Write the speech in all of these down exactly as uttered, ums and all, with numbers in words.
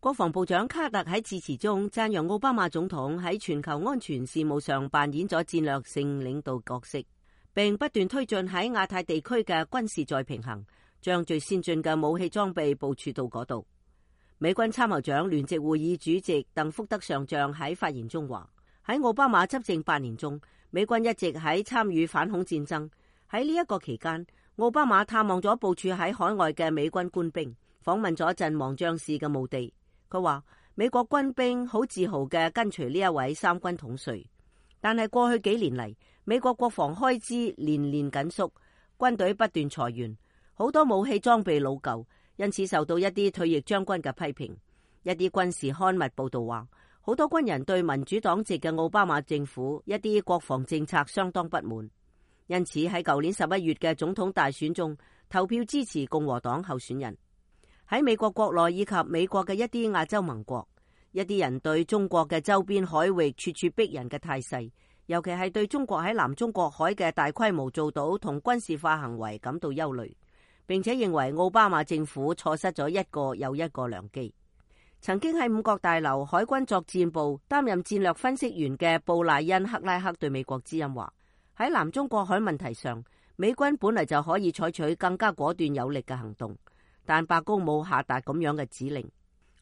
國防部長卡特喺致辭中讚揚奧巴馬總統喺全球安全事務上扮演咗戰略性領導角色，並不斷推進喺亞太地區嘅軍事再平衡，將最先進嘅武器裝備部署到嗰度。美軍參謀長聯席會議主席鄧福德上將喺發言中話：喺奧巴馬執政八年中，美軍一直喺參與反恐戰爭。喺呢一個期間，奧巴馬探望咗部署喺海外嘅美軍官兵，訪問咗陣亡將士嘅墓地。佢話美國軍兵好自豪嘅跟隨呢一位三軍統帥，但係過去幾年嚟，美國國防開支年年緊縮，軍隊不斷裁員，好多武器裝備老舊，因此受到一啲退役將軍嘅批評。一啲軍事刊物報道話，好多軍人對民主黨籍嘅奧巴馬政府一啲國防政策相當不滿，因此喺舊年十一月嘅總統大選中投票支持共和黨候選人。喺美國國內以及美國嘅一啲亞洲盟國，一啲人對中國嘅周邊海域處處逼人嘅態勢，尤其係對中國喺南中國海嘅大規模造島同軍事化行為感到憂慮，並且認為奧巴馬政府錯失咗一個又一個良機。曾經喺五角大樓海軍作戰部擔任戰略分析員嘅布賴恩·克拉克對美國之音話：喺南中國海問題上，美軍本嚟就可以採取更加果斷有力嘅行動，但白宮冇下達咁樣嘅指令。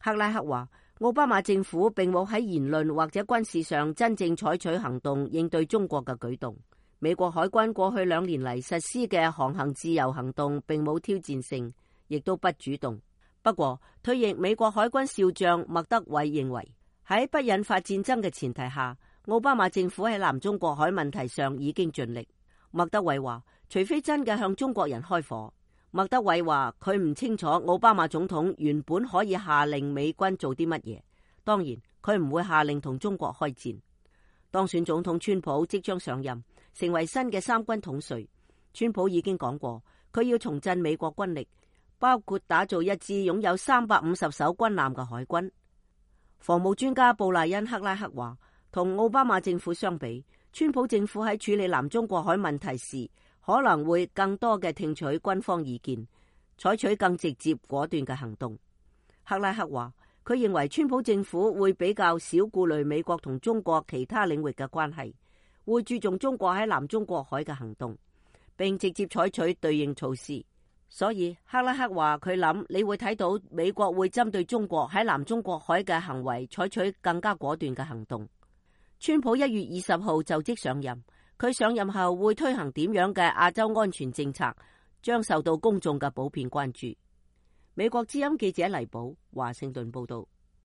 克拉克話：奧巴馬政府並冇喺言論或者軍事上真正採取行動應對中國嘅舉動。美國海軍過去兩年嚟實施嘅航行自由行動並冇挑戰性，亦都不主動。不過，退役美國海軍少將麥德韋認為，喺不引發戰爭嘅前提下，奧巴馬政府喺南中國海問題上已經盡力。麥德韋話：除非真嘅向中國人開火。麥德韋話佢唔清楚奧巴馬總統原本可以下令美軍做啲乜嘢，當然佢唔會下令同中國開戰。當選總統川普即將上任，成為新嘅三軍統帥。川普已經講過，佢要重振美國軍力，包括打造一支擁有三百五十艘軍艦嘅海軍。防務專家布賴恩·克拉克話，同奧巴馬政府相比，川普政府喺處理南中國海問題時，可能會更多嘅聽取軍方意見，採取更直接果斷嘅行動。克拉克話，佢認為川普政府會比較少顧慮美國同中國其他領域嘅關係，會注重中國喺南中國海嘅行動，並直接採取對應措施。所以克拉克話佢諗你會睇到美國會針對中國喺南中國海嘅行為採取更加果斷嘅行動。川普一月二十號就職上任，佢上任後會推行點樣嘅亞洲安全政策，將受到公眾嘅普遍關注。美國之音記者黎寶華盛頓報道。